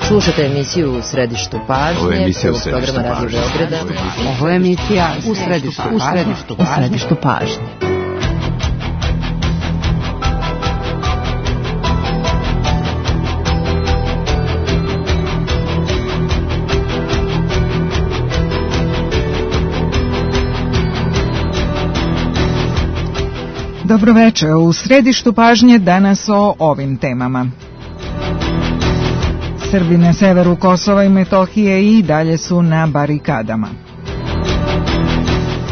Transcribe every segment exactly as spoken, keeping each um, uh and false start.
Slušate emisiju U središtu pažnje, prvog programa Radio Beograda. Ovo je emisija U središtu pažnje. Dobro večer, u središtu pažnje danas o ovim temama. Srbi na severu Kosova i Metohije i dalje su na barikadama.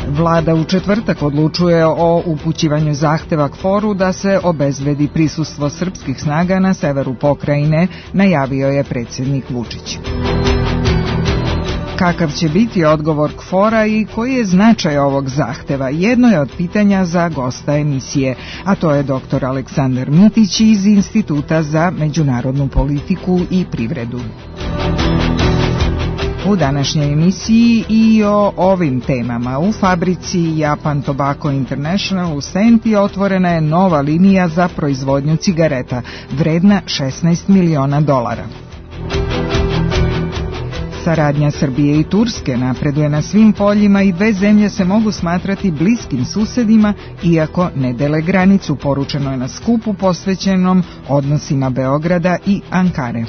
Vlada u četvrtak odlučuje o upućivanju zahteva KFOR-u da se obezbedi prisustvo srpskih snaga na severu pokrajine, najavio je predsjednik Vučić. Kakav će biti odgovor KFOR-a i koji je značaj ovog zahteva? Jedno je od pitanja za gosta emisije, a to je doktor Aleksandar Mitić iz Instituta za međunarodnu politiku i privredu. U današnjoj emisiji i o ovim temama. U fabrici Japan Tobacco International u Senti otvorena je nova linija za proizvodnju cigareta, vredna šesnaest miliona dolara. Saradnja Srbije i Turske napreduje na svim poljima i dve zemlje se mogu smatrati bliskim susedima, iako ne dele granicu, poručeno je na skupu posvećenom odnosima Beograda i Ankare.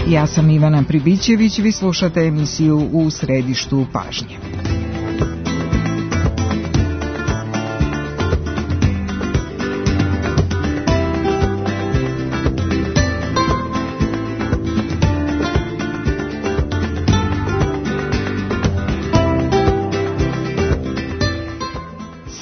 Ja sam Ivana Pribićević, vi slušate emisiju U središtu pažnje.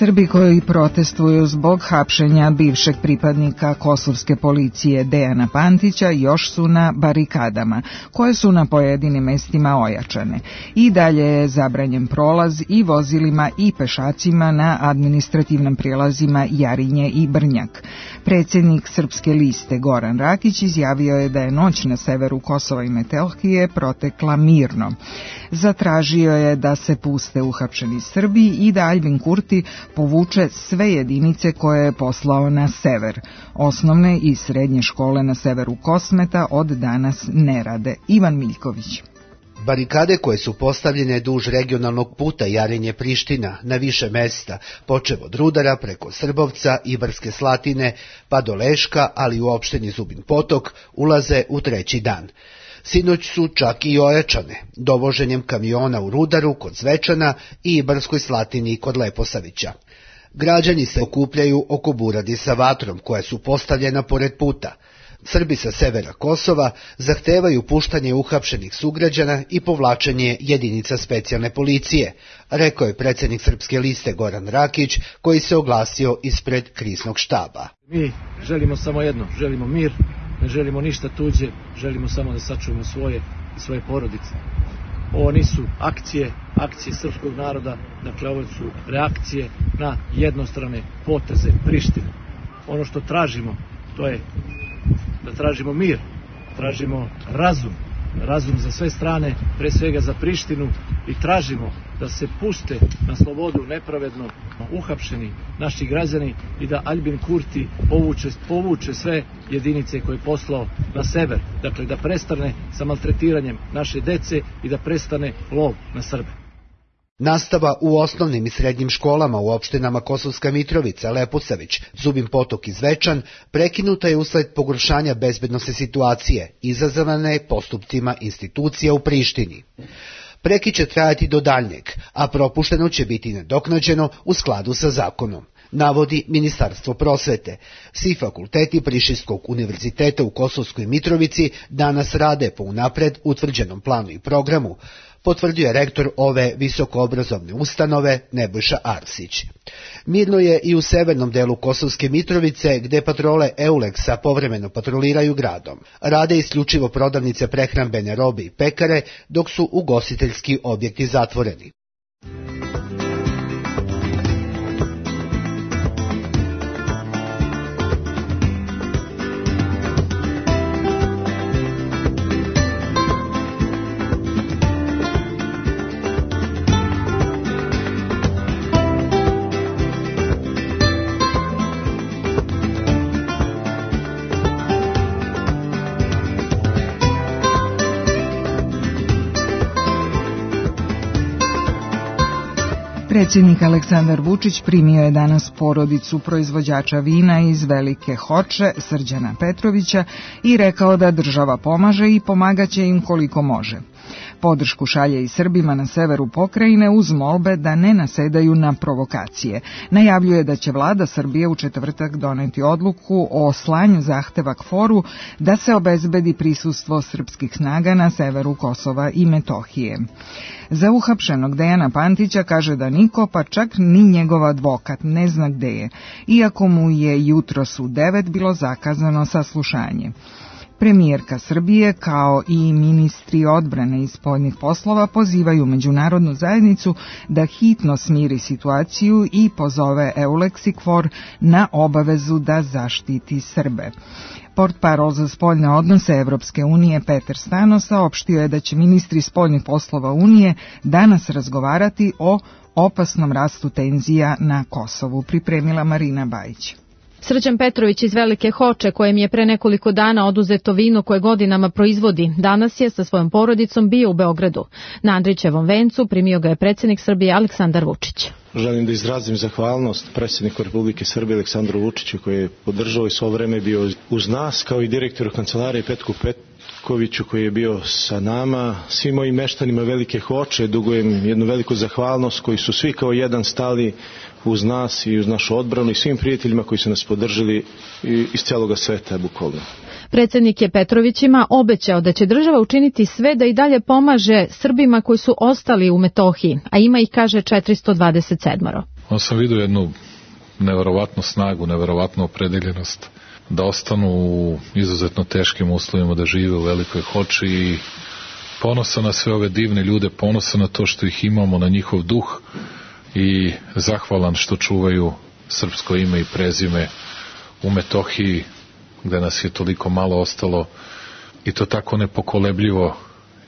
Srbi koji protestuju zbog hapšenja bivšeg pripadnika kosovske policije Dejana Pantića još su na barikadama, koje su na pojedinim mestima ojačane. I dalje je zabranjen prolaz i vozilima i pešacima na administrativnim prijelazima Jarinje i Brnjak. Predsjednik Srpske liste Goran Rakić izjavio je da je noć na severu Kosova i Metohije protekla mirno. Zatražio je da se puste uhapšeni Srbi i da Aljbin Kurti povuče sve jedinice koje je poslao na sever. Osnovne i srednje škole na severu Kosmeta od danas ne rade. Ivan Miljković. Barikade koje su postavljene duž regionalnog puta Jarinje-Priština na više mesta, počev od Rudara preko Srbovca, Ibarske Slatine pa do Leška, ali u opštini Zubin Potok, ulaze u treći dan. Sinoć su čak i ojačane, dovoženjem kamiona u Rudaru kod Zvečana i Ibarskoj Slatini kod Leposavića. Građani se okupljaju oko buradi sa vatrom koja su postavljena pored puta. Srbi sa severa Kosova zahtevaju puštanje uhapšenih sugrađana i povlačenje jedinica specijalne policije, rekao je predsjednik Srpske liste Goran Rakić, koji se oglasio ispred kriznog štaba. Mi želimo samo jedno, želimo mir, ne želimo ništa tuđe, želimo samo da sačuvamo svoje i svoje porodice. Ovo nisu akcije, akcije srpskog naroda, dakle ovo su reakcije na jednostrane poteze Prištine. Ono što tražimo, to je da tražimo mir, tražimo razum, razum za sve strane, pre svega za Prištinu, i tražimo da se puste na slobodu nepravedno uhapšeni naši građani i da Aljbin Kurti povuče, povuče sve jedinice koje je poslao na sever, dakle da prestane sa maltretiranjem naše dece i da prestane lov na Srbe. Nastava u osnovnim i srednjim školama u opštinama Kosovska Mitrovica, Leposavić, Zubin Potok i Zvečan prekinuta je usled pogoršanja bezbednosne situacije, izazvane postupcima institucija u Prištini. Prekid će trajati do daljnjeg, a propušteno će biti nadoknađeno u skladu sa zakonom, navodi Ministarstvo prosvete. Svi fakulteti Prištinskog univerziteta u Kosovskoj Mitrovici danas rade po unapred utvrđenom planu i programu, potvrdio je rektor ove visokoobrazovne ustanove Nebojša Arsić. Mirno je i u severnom delu Kosovske Mitrovice, gde patrole Euleksa povremeno patroliraju gradom. Rade isključivo prodavnice prehrambene robe i pekare, dok su ugostiteljski objekti zatvoreni. Predsjednik Aleksandar Vučić primio je danas porodicu proizvođača vina iz Velike Hoče, Srđana Petrovića, i rekao da država pomaže i pomagaće im koliko može. Podršku šalje i Srbima na severu pokrajine uz molbe da ne nasedaju na provokacije. Najavljuje da će vlada Srbije u četvrtak doneti odluku o slanju zahteva KFOR-u da se obezbedi prisustvo srpskih snaga na severu Kosova i Metohije. Za uhapšenog Dejana Pantića kaže da niko, pa čak ni njegov advokat, ne zna gde je, iako mu je jutros u devet bilo zakazano saslušanje. Premijerka Srbije kao i ministri odbrane i spoljnih poslova pozivaju međunarodnu zajednicu da hitno smiri situaciju i pozove EULEX i KFOR na obavezu da zaštiti Srbe. Portparol za spoljne odnose Evropske unije Petar Stano saopštio je da će ministri spoljnih poslova Unije danas razgovarati o opasnom rastu tenzija na Kosovu, pripremila Marina Bajić. Srđan Petrović iz Velike Hoče, kojem je pre nekoliko dana oduzeto vino koje godinama proizvodi, danas je sa svojom porodicom bio u Beogradu. Na Andrićevom vencu primio ga je predsjednik Srbije Aleksandar Vučić. Želim da izrazim zahvalnost predsjedniku Republike Srbije Aleksandru Vučiću, koji je podržao i svo vreme bio uz nas, kao i direktoru kancelarije Petku Petkoviću, koji je bio sa nama. Svim mojim meštanima Velike Hoče dugujem jednu veliku zahvalnost, koji su svi kao jedan stali uz nas i uz našu odbranu, i svim prijateljima koji su nas podržali iz cijeloga sveta, bukvalno. Predsjednik je Petrovićima obećao da će država učiniti sve da i dalje pomaže Srbima koji su ostali u Metohiji, a ima ih, kaže, četiristo dvadeset sedam. On sam vidio jednu neverovatnu snagu, neverovatnu opredeljenost da ostanu u izuzetno teškim uslovima, da žive u Velikoj Hoči, i ponosan na sve ove divne ljude, ponosan na to što ih imamo, na njihov duh, i zahvalan što čuvaju srpsko ime i prezime u Metohiji, gde nas je toliko malo ostalo, i to tako nepokolebljivo,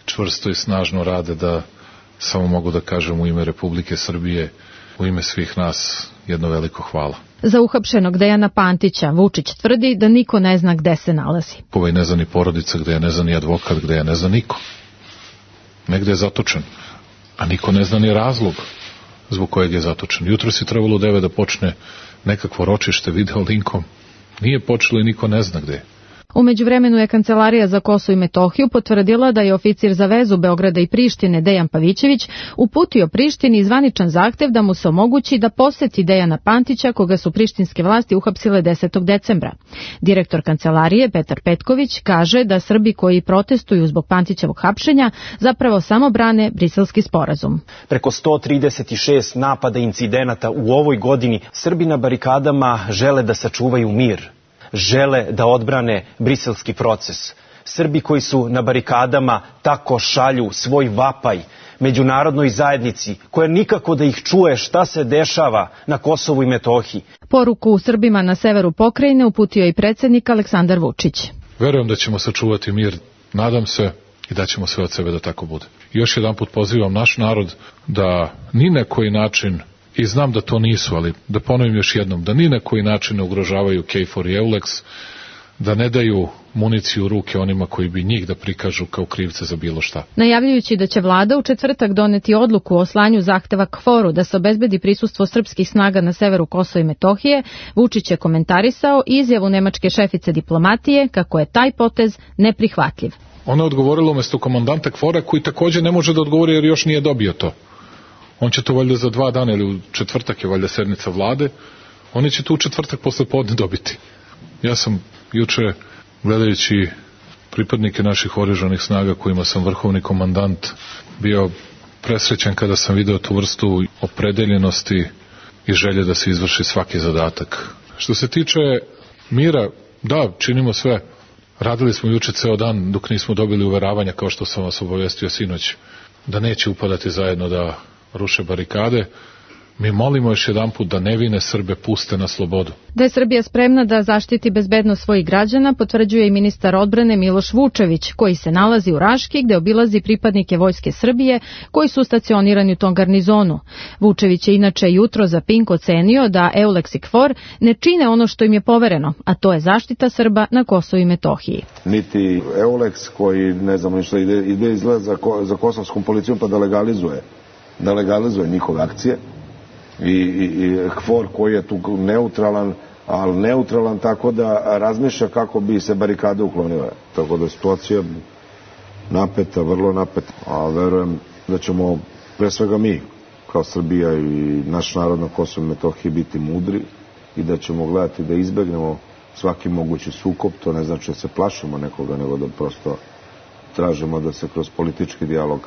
čvrsto i snažno rade, da samo mogu da kažem u ime Republike Srbije, u ime svih nas, jedno veliko hvala. Za uhapšenog Dejana Pantića Vučić tvrdi da niko ne zna gde se nalazi. Ovaj ne zna ni porodica gde je, ne zna ni advokat gde je, ne zna niko. Negde je zatočen, a niko ne zna ni razlog zbog kojeg je zatočen. Jutro si trebalo u devet da počne nekakvo ročište video linkom. Nije počelo i niko ne zna gde je. U međuvremenu je Kancelarija za Kosovo i Metohiju potvrdila da je oficir za vezu Beograda i Prištine Dejan Pavićević uputio Prištini zvaničan zahtev da mu se omogući da poseti Dejana Pantića, koga su prištinske vlasti uhapsile desetog decembra. Direktor Kancelarije Petar Petković kaže da Srbi koji protestuju zbog Pantićevog hapšenja zapravo samo brane Briselski sporazum. Preko sto trideset šest napada incidenata u ovoj godini Srbi na barikadama žele da sačuvaju mir. Žele da odbrane briselski proces. Srbi koji su na barikadama tako šalju svoj vapaj međunarodnoj zajednici, koja nikako da ih čuje šta se dešava na Kosovu i Metohiji. Poruku Srbima na severu pokrajine uputio i predsjednik Aleksandar Vučić. Verujem da ćemo sačuvati mir, nadam se, i da ćemo sve od sebe da tako bude. Još jedan put pozivam naš narod da ni na koji način, i znam da to nisu, ali da ponovim još jednom, da ni na koji način ne ugrožavaju KFOR i EULEX, da ne daju municiju u ruke onima koji bi njih da prikažu kao krivce za bilo šta. Najavljujući da će vlada u četvrtak doneti odluku o slanju zahteva KFOR-u da se obezbedi prisustvo srpskih snaga na severu Kosova i Metohije, Vučić je komentarisao izjavu nemačke šefice diplomatije kako je taj potez neprihvatljiv. Ona je odgovorila umesto komandanta KFOR-a, koji također ne može da odgovori jer još nije dobio to. On će to valjda za dva dana, ili u četvrtak je valjda sednica vlade, oni će to u četvrtak posle podne dobiti. Ja sam juče, gledajući pripadnike naših oružanih snaga kojima sam vrhovni komandant, bio presrećan kada sam video tu vrstu opredeljenosti i želje da se izvrši svaki zadatak. Što se tiče mira, da, činimo sve. Radili smo juče ceo dan dok nismo dobili uveravanja, kao što sam vas obavestio sinoć, da neće upadati zajedno da ruše barikade. Mi molimo još jedan put da nevine Srbe puste na slobodu. Da je Srbija spremna da zaštiti bezbednost svojih građana, potvrđuje i ministar odbrane Miloš Vučević, koji se nalazi u Raški, gde obilazi pripadnike Vojske Srbije koji su stacionirani u tom garnizonu. Vučević je inače jutro za Pink ocenio da EULEX i KFOR ne čine ono što im je povereno, a to je zaštita Srba na Kosovu i Metohiji. Niti EULEX, koji ne znamo ništa, ide, ide izgled za, ko, za kosovskom policijom pa da legalizuje, da legalizuje njihove akcije, i, i, i KFOR koji je tu neutralan, ali neutralan tako da razmišlja kako bi se barikade uklonile. Tako da situacija napeta, vrlo napeta, a verujem da ćemo pre svega mi kao Srbija i naš narod na Kosovu i Metohiji biti mudri i da ćemo gledati da izbegnemo svaki mogući sukob. To ne znači da se plašimo nekoga, nego da prosto tražimo da se kroz politički dijalog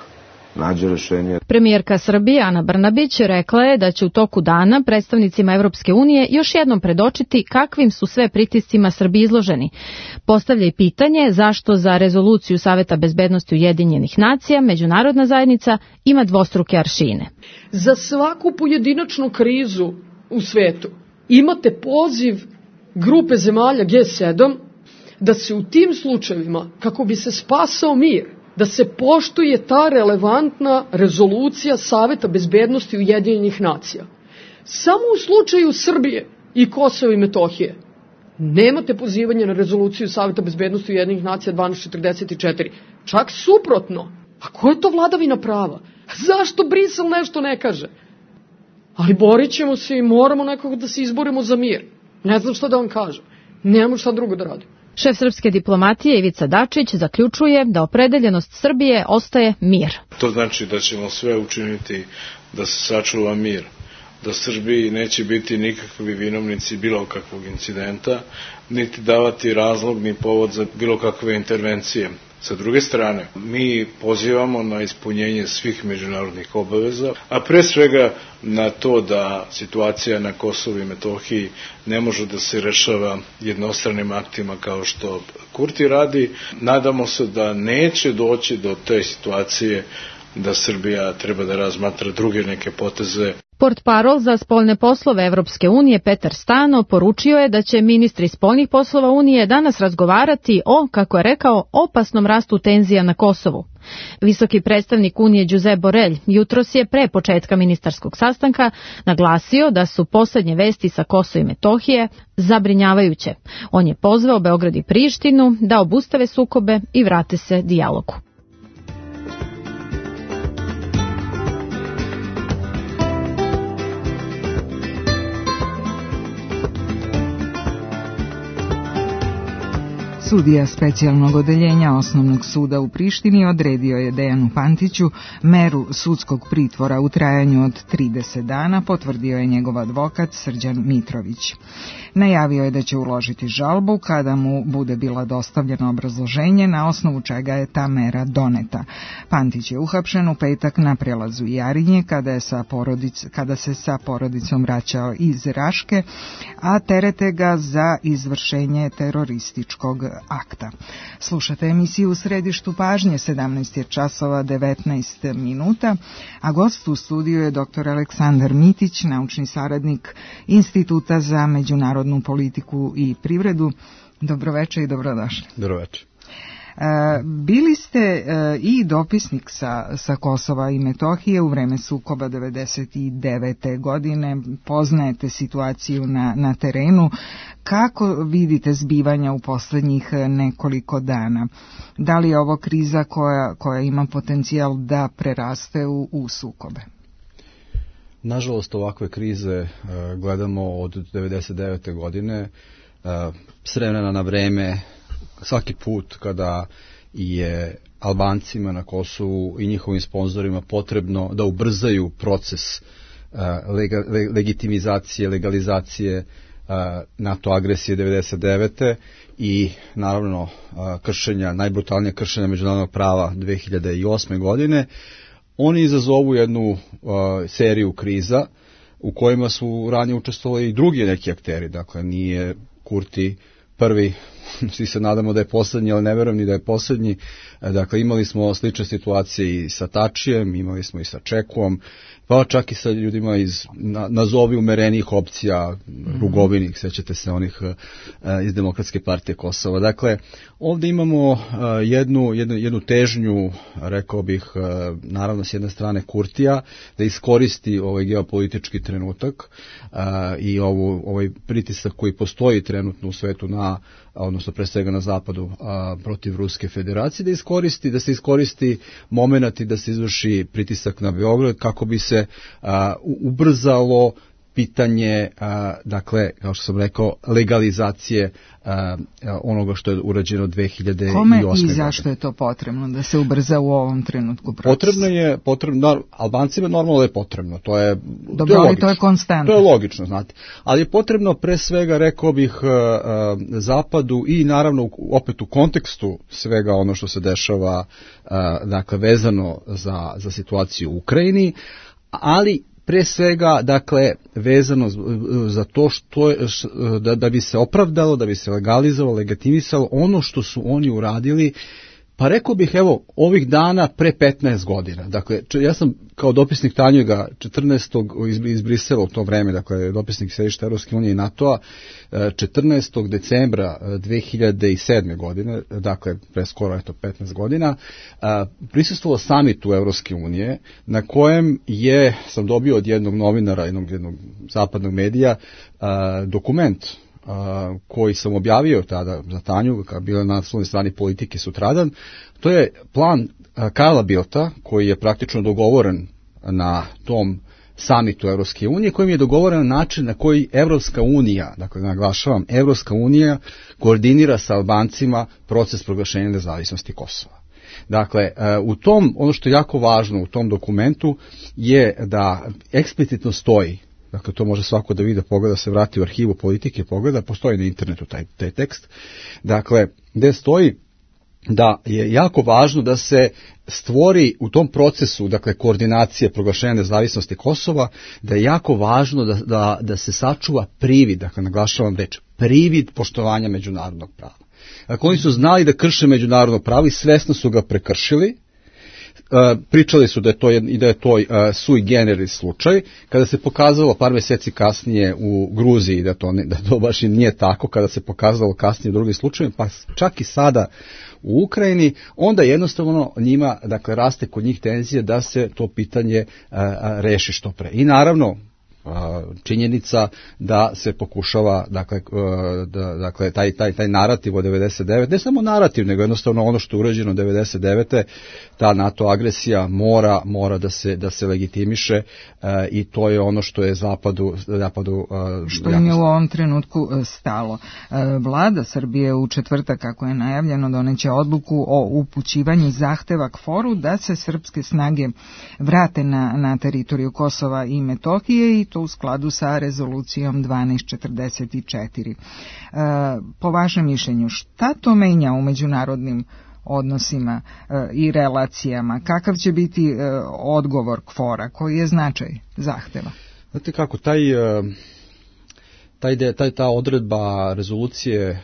nađe rešenje. Premijerka Srbije Ana Brnabić rekla je da će u toku dana predstavnicima Evropske unije još jednom predočiti kakvim su sve pritiscima Srbiji izloženi. Postavlja i pitanje zašto za rezoluciju Saveta bezbednosti Ujedinjenih nacija međunarodna zajednica ima dvostruke aršine. Za svaku pojedinačnu krizu u svetu imate poziv grupe zemalja G sedam da se u tim slučajevima, kako bi se spasao mir, da se poštuje ta relevantna rezolucija Saveta bezbednosti Ujedinjenih nacija. Samo u slučaju Srbije i Kosova i Metohije nemate pozivanje na rezoluciju Saveta bezbednosti Ujedinjenih nacija dvanaest četrdeset četiri. Čak suprotno. A ko je to vladavina prava? Zašto Brisel nešto ne kaže? Ali borit ćemo se i moramo nekako da se izborimo za mir. Ne znam šta da vam kažem. Nemamo šta drugo da radim. Šef srpske diplomatije Ivica Dačić zaključuje da opredeljenost Srbije ostaje mir. To znači da ćemo sve učiniti da se sačuva mir, da Srbiji neće biti nikakvi vinovnici bilo kakvog incidenta, niti davati razlog ni povod za bilo kakve intervencije. Sa druge strane, mi pozivamo na ispunjenje svih međunarodnih obaveza, a pre svega na to da situacija na Kosovu i Metohiji ne može da se rešava jednostranim aktima kao što Kurti radi. Nadamo se da neće doći do te situacije da Srbija treba da razmatra druge neke poteze. Portparol za spoljne poslove Evropske unije Petar Stano poručio je da će ministri spoljnih poslova Unije danas razgovarati o, kako je rekao, opasnom rastu tenzija na Kosovu. Visoki predstavnik Unije Josep Borrell jutros je pre početka ministarskog sastanka naglasio da su poslednje vesti sa Kosova i Metohije zabrinjavajuće. On je pozvao Beograd i Prištinu da obustave sukobe i vrate se dijalogu. Sudija specijalnog odeljenja Osnovnog suda u Prištini odredio je Dejanu Pantiću meru sudskog pritvora u trajanju od trideset dana, potvrdio je njegov advokat Srđan Mitrović. Najavio je da će uložiti žalbu kada mu bude bila dostavljeno obrazloženje na osnovu čega je ta mera doneta. Pantić je uhapšen u petak na prelazu Jarinje kada, je sa porodic, kada se sa porodicom vraćao iz Raške, a terete ga za izvršenje terorističkog akta. Slušate emisiju U središtu pažnje, sedamnaest je časova devetnaest minuta, a gost u studiju je doktor Aleksandar Mitić, naučni saradnik Instituta za međunarodnu politiku i privredu. Dobroveče i dobrodošli. Dobroveče. Bili ste i dopisnik sa, sa Kosova i Metohije u vreme sukoba devedeset devete godine, poznajete situaciju na, na terenu. Kako vidite zbivanja u poslednjih nekoliko dana? Da li je ovo kriza koja, koja ima potencijal da preraste u, u sukobe? Nažalost, ovakve krize uh, gledamo od devedeset devete godine, uh, s vremena na vreme, svaki put kada je Albancima na Kosovu i njihovim sponzorima potrebno da ubrzaju proces uh, lega, le, legitimizacije, legalizacije uh, NATO agresije devedeset devete i naravno uh, kršenja, najbrutalnije kršenja međunarodnog prava dve hiljade osme godine, oni izazovu jednu uh, seriju kriza u kojima su ranije učestvovali i drugi neki akteri, dakle nije Kurti prvi, svi se nadamo da je poslednji, ali ne verujem ni da je poslednji. Dakle, imali smo slične situacije i sa Tačijem, imali smo i sa Čekom, pa čak i sa ljudima iz na, nazovi umerenijih opcija, mm-hmm. Rugovinih, sećate se onih uh, iz Demokratske partije Kosova. Dakle, ovdje imamo uh, jednu, jednu, jednu težnju, rekao bih, uh, naravno s jedne strane Kurtija, da iskoristi ovaj geopolitički trenutak uh, i ovu, ovaj pritisak koji postoji trenutno u svetu na, odnosno pre svega na zapadu a, protiv Ruske federacije, da iskoristi, da se iskoristi momenat i da se izvrši pritisak na Beograd kako bi se a, ubrzalo pitanje, a, dakle, kao što sam rekao, legalizacije a, onoga što je urađeno dve hiljade osme. Kome i zašto je to potrebno da se ubrza u ovom trenutku proces? Potrebno je, potrebno, Albancima normalno je potrebno, to je, dobro, to je ali to je konstantno. To je logično, znate. Ali je potrebno pre svega, rekao bih, a, a, Zapadu i naravno opet u kontekstu svega ono što se dešava, a, dakle, vezano za, za situaciju u Ukrajini, ali pre svega, dakle, vezano za to što je, da, da bi se opravdalo, da bi se legalizovalo, legitimisalo ono što su oni uradili, pa rekao bih, evo, ovih dana pre petnaest godina. Dakle, ja sam kao dopisnik Tanjuga četrnaestog iz, iz Brisela u to vreme, dakle, dopisnik sedišta Evropske unije i NATO-a, četrnaestog decembra dve hiljade sedme. godine, dakle, pre skoro, eto, petnaest godina, prisustvovao samitu Evropske unije, na kojem je, sam dobio od jednog novinara, jednog, jednog zapadnog medija, dokument Uh, koji sam objavio tada za Tanju, kao bilo na naslovnoj strani Politike sutradan. To je plan uh, Karla Bildta, koji je praktično dogovoren na tom samitu Evropske unije, kojim je dogovoren način na koji Evropska unija, dakle naglašavam, Evropska unija koordinira sa Albancima proces proglašenja nezavisnosti Kosova. Dakle, u tom, ono što je jako važno u tom dokumentu je da eksplicitno stoji, dakle, to može svako da vidi, pogleda, se vrati u arhivu Politike, pogleda, postoji na internetu taj, taj tekst, dakle, gde stoji da je jako važno da se stvori u tom procesu, dakle, koordinacije proglašenja nezavisnosti Kosova, da je jako važno da, da, da se sačuva privid, dakle, naglašavam reč, privid poštovanja međunarodnog prava. Dakle, oni su znali da krše međunarodno pravo i svesno su ga prekršili. Uh, pričali su da je to i da je to uh, sui generis slučaj, kada se pokazalo par mjeseci kasnije u Gruziji da to ne, da to baš i nije tako, kada se pokazalo kasnije u drugim slučajevima, pa čak i sada u Ukrajini, onda jednostavno njima, dakle, raste kod njih tenzija da se to pitanje uh, reši što pre. I naravno činjenica da se pokušava, dakle, da, dakle taj, taj, taj narativ od devedeset devete, ne samo narativ, nego jednostavno ono što je urađeno devedeset devete, ta NATO agresija mora, mora da se, da se legitimiše e, i to je ono što je Zapadu, Zapadu e, što im je u ovom trenutku stalo. E, Vlada Srbije u četvrtak, kako je najavljeno, doneće odluku o upućivanju zahteva K foru da se srpske snage vrate na, na teritoriju Kosova i Metohije i to u skladu sa rezolucijom dvanaest četrdeset četiri. E, po vašem mišljenju, šta to menja u međunarodnim odnosima e, i relacijama? Kakav će biti e, odgovor K fora? Koji je značaj zahteva? Znate kako, taj... E... Taj, taj, ta odredba rezolucije e,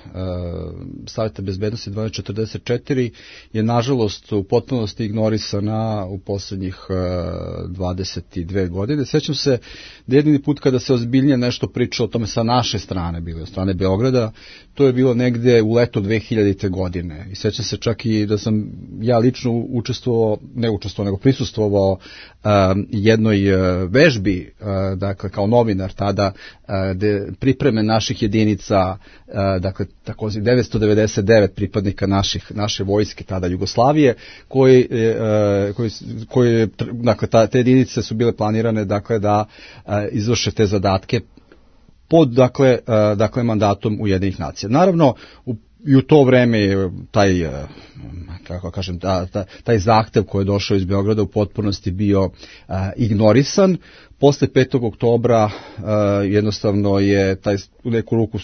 Saveta bezbednosti dvanaest četrdeset četiri je nažalost u potpunosti ignorisana u posljednjih e, dvadeset dve godine. Sjećam se da jedini put kada se ozbiljnije nešto pričalo o tome sa naše strane, bilo od strane Beograda, to je bilo negde u leto dve hiljadite. godine. I sjećam se čak i da sam ja lično učestvovao, ne učestvovao, nego prisustvovao uh, jednoj uh, vežbi, uh, dakle kao novinar tada, uh, gde pripreme naših jedinica, uh, dakle takozvani devetsto devedeset devet pripadnika naših, naše vojske tada Jugoslavije, koji, uh, koji, koji dakle ta, te jedinice su bile planirane, dakle da uh, izvrše te zadatke pod, dakle, uh, dakle mandatom Ujedinjenih nacija. Naravno, u, i u to vreme je taj, uh, kako kažem, ta, ta, taj zahtev koji je došao iz Beograda u potpunosti bio uh, ignorisan. Posle petog oktobra uh, jednostavno je taj u neku ruku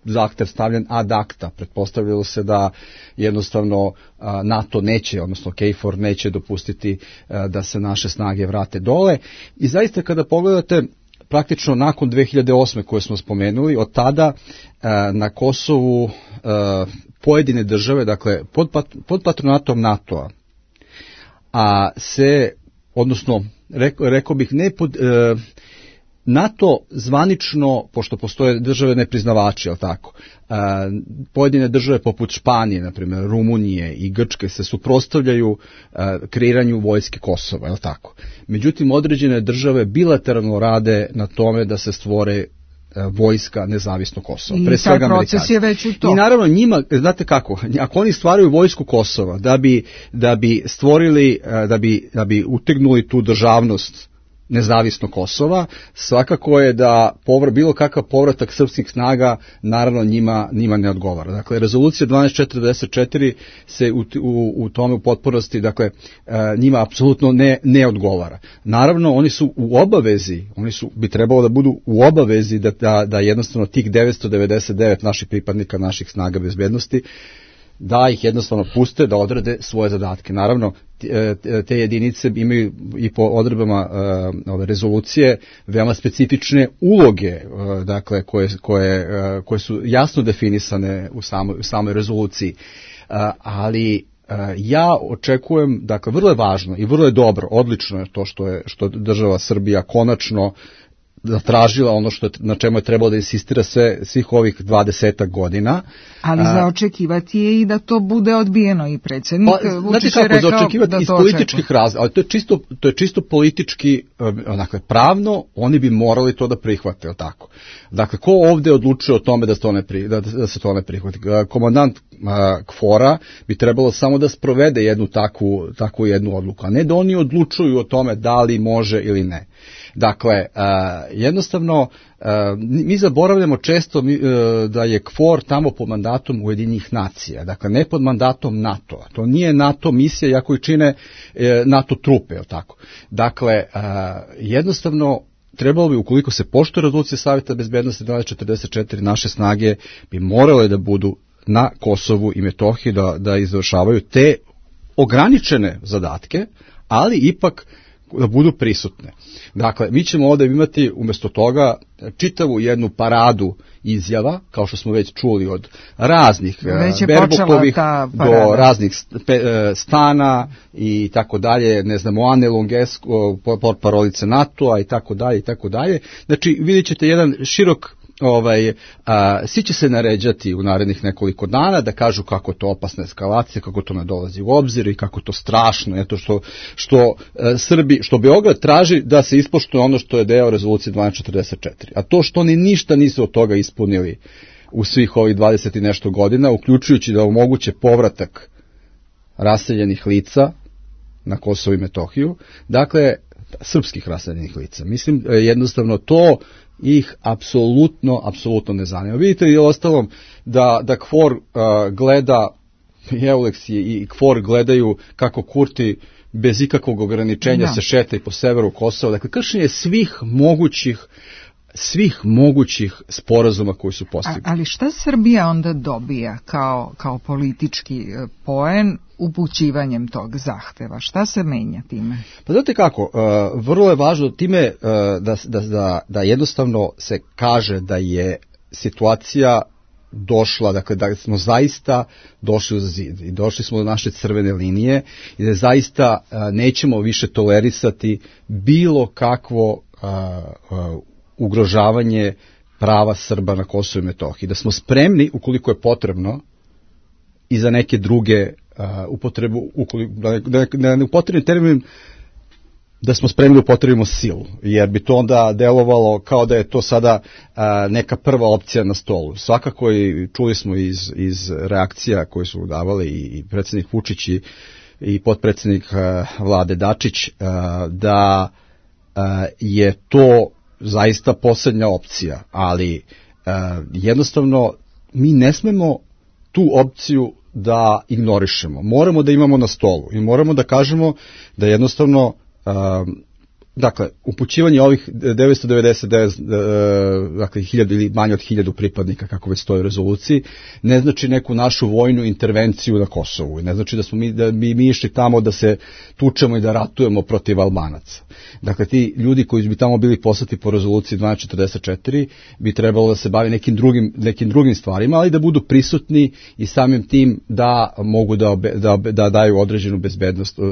zahtev stavljen ad acta. Pretpostavljalo se da jednostavno uh, NATO neće, odnosno K four neće dopustiti uh, da se naše snage vrate dole. I zaista kada pogledate, praktično nakon dve hiljade osme koje smo spomenuli, od tada e, na Kosovu e, pojedine države, dakle pod, pod patronatom NATO-a, a se, odnosno reko, rekao bih ne pod, e, NATO zvanično, pošto postoje države nepriznavači, jel tako, e, pojedine države poput Španije, na primjer Rumunije i Grčke se suprotstavljaju e, kreiranju vojske Kosova, jel tako. Međutim, određene države bilateralno rade na tome da se stvore vojska nezavisno Kosovo. I pre taj proces je već u to. I naravno njima, znate kako, ako oni stvaraju vojsku Kosova da bi, da bi stvorili, da bi, da bi utegnuli tu državnost nezavisno Kosova, svakako je da povr, bilo kakav povratak srpskih snaga naravno njima, njima ne odgovara. Dakle, rezolucija dvanaest četrdeset četiri se u, u, u tome u potpunosti, dakle, njima apsolutno ne, ne odgovara. Naravno, oni su u obavezi, oni su, bi trebalo da budu u obavezi da, da, da jednostavno tih devetsto devedeset devet naših pripadnika, naših snaga bezbednosti, da ih jednostavno puste da odrade svoje zadatke. Naravno, te jedinice imaju i po odredbama ove rezolucije veoma specifične uloge, dakle, koje, koje, koje su jasno definisane u samoj, u samoj rezoluciji. Ali ja očekujem, dakle, vrlo je važno i vrlo je dobro, odlično je to što je, što država Srbija konačno zatražila ono što je, na čemu je trebalo da insistira sve, svih ovih dvadesetak godina. Ali za očekivati je i da to bude odbijeno i predsjednik pa, Vučić je rekao da to očekuje. Iz političkih razloga, ali to je čisto, to je čisto politički, dakle, pravno, oni bi morali to da prihvate, o tako. Dakle, ko ovde odlučuje o tome da se to ne, pri, da, da se to ne prihvati? Komandant KFOR-a bi trebalo samo da sprovede jednu takvu, takvu jednu odluku, a ne da oni odlučuju o tome da li može ili ne. Dakle, jednostavno, mi zaboravljamo često da je KFOR tamo pod mandatom Ujedinjenih nacija, dakle ne pod mandatom NATO-a. To nije NATO misija, iako i čine NATO trupe, tako. Dakle, jednostavno, trebalo bi, ukoliko se poštuje rezolucija Saveta bezbednosti dvanaest četrdeset četiri, naše snage bi morale da budu na Kosovu i Metohiji, da, da izvršavaju te ograničene zadatke, ali ipak da budu prisutne. Dakle, mi ćemo ovdje imati umjesto toga čitavu jednu paradu izjava, kao što smo već čuli od raznih Berbukovih do raznih Stana i tako dalje, ne znamo, Ane Longesko, portparolice NATO-a i tako dalje i tako dalje. Znači, vidjet ćete jedan širok Ovaj, a, svi će se naređati u narednih nekoliko dana da kažu kako to opasna eskalacija, kako to ne dolazi u obzir i kako to strašno, eto što, što a, Srbi, što Beograd traži da se ispoštuje ono što je deo rezolucije dvanaest četrdeset četiri. A to što oni ništa nisu od toga ispunili u svih ovih dvadeset i nešto godina, uključujući da omoguće povratak raseljenih lica na Kosovo i Metohiju, dakle, srpskih raseljenih lica. Mislim, jednostavno to ih apsolutno, apsolutno ne zanima. Vidite i ostalom da, da KFOR uh, gleda, i Euleks i, i KFOR gledaju kako Kurti bez ikakvog ograničenja da. se šeta i po severu Kosova. Dakle, kršenje svih mogućih svih mogućih sporazuma koji su postignuti. Ali šta Srbija onda dobija kao, kao politički poen upućivanjem tog zahteva? Šta se menja time? Pa znate kako, uh, vrlo je važno time uh, da, da, da, da jednostavno se kaže da je situacija došla, dakle da smo zaista došli za zid i došli smo do naše crvene linije i da zaista uh, nećemo više tolerisati bilo kakvo uh, uh, ugrožavanje prava Srba na Kosovu i Metohiji. Da smo spremni, ukoliko je potrebno, i za neke druge uh, upotrebu, ukoliko, da, da, da ne upotrebim termin, da smo spremni da upotrebimo silu, jer bi to onda delovalo kao da je to sada uh, neka prva opcija na stolu. Svakako i čuli smo iz, iz reakcija koje su davali i, i predsjednik Vučić i, i potpredsjednik uh, Vlade Dačić, uh, da uh, je to zaista posljednja opcija, ali uh, jednostavno mi ne smemo tu opciju da ignorišemo. Moramo da imamo na stolu i moramo da kažemo da jednostavno uh, dakle, upućivanje ovih devetsto devedeset devet, dakle, hiljadu ili manje od hiljadu pripadnika, kako već stoji u rezoluciji, ne znači neku našu vojnu intervenciju na Kosovu. Ne znači da smo mi, da bi mi išli tamo da se tučemo i da ratujemo protiv Albanaca. Dakle, ti ljudi koji bi tamo bili poslati po rezoluciji dvanaest četrdeset četiri bi trebalo da se bavi nekim drugim, nekim drugim stvarima, ali da budu prisutni i samim tim da mogu da, da, da daju određenu bezbednost uh,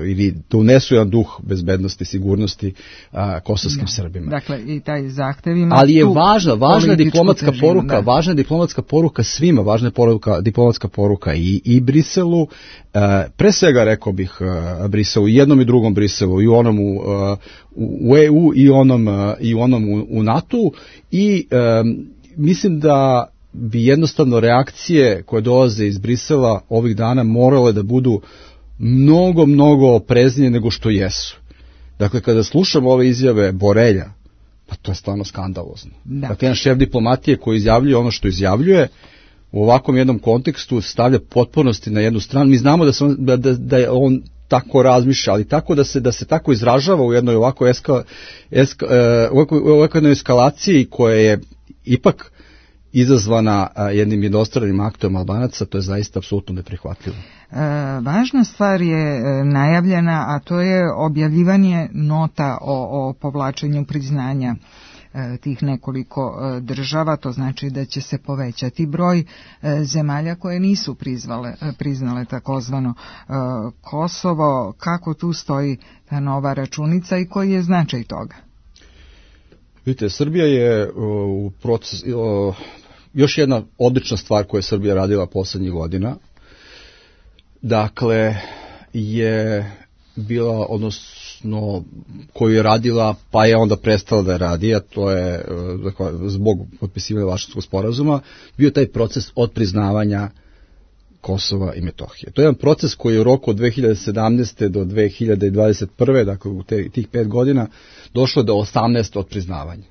ili da unesu jedan duh bezbednosti i sigurnosti sigurnosti a, kosovskim da. Srbima. Dakle, i taj zahtev ima ali je važna, važna diplomatska težinu, poruka, da. važna diplomatska poruka svima, važna je poruka, diplomatska poruka i, i Briselu, a, pre svega rekao bih a, Briselu, i jednom i drugom Briselu, i u onom u, a, u E U i onom, a, i onom u, u NATO-u i a, mislim da bi jednostavno reakcije koje dolaze iz Brisela ovih dana morale da budu mnogo, mnogo opreznije nego što jesu. Dakle, kada slušamo ove izjave Borelja, pa to je stvarno skandalozno. Da. Dakle, jedan šef diplomatije koji izjavljuje ono što izjavljuje, u ovakvom jednom kontekstu stavlja potpunosti na jednu stranu. Mi znamo da, se on, da, da, da je on tako razmišlja, ali tako da se da se tako izražava u jednoj ovako eska, eska, uh, ovako jednoj eskalaciji koja je ipak izazvana jednim jednostranim aktom Albanaca, to je zaista apsolutno neprihvatljivo. E, važna stvar je najavljena, a to je objavljivanje nota o, o povlačenju priznanja e, tih nekoliko e, država, to znači da će se povećati broj e, zemalja koje nisu prizvale, priznale takozvano e, Kosovo. Kako tu stoji ta nova računica i koji je značaj toga? Vidite, Srbija je u proces, još jedna odlična stvar koju je Srbija radila poslednjih godina, dakle, je bila, odnosno, koju je radila, pa je onda prestala da je radi, a to je, dakle, zbog potpisivanja Varšavskog sporazuma, bio taj proces odpriznavanja Kosova i Metohije. To je jedan proces koji je u roku od dve hiljade sedamnaeste do dve hiljade dvadeset prve, dakle u te, tih pet godina, došlo do osamnaest odpriznavanja.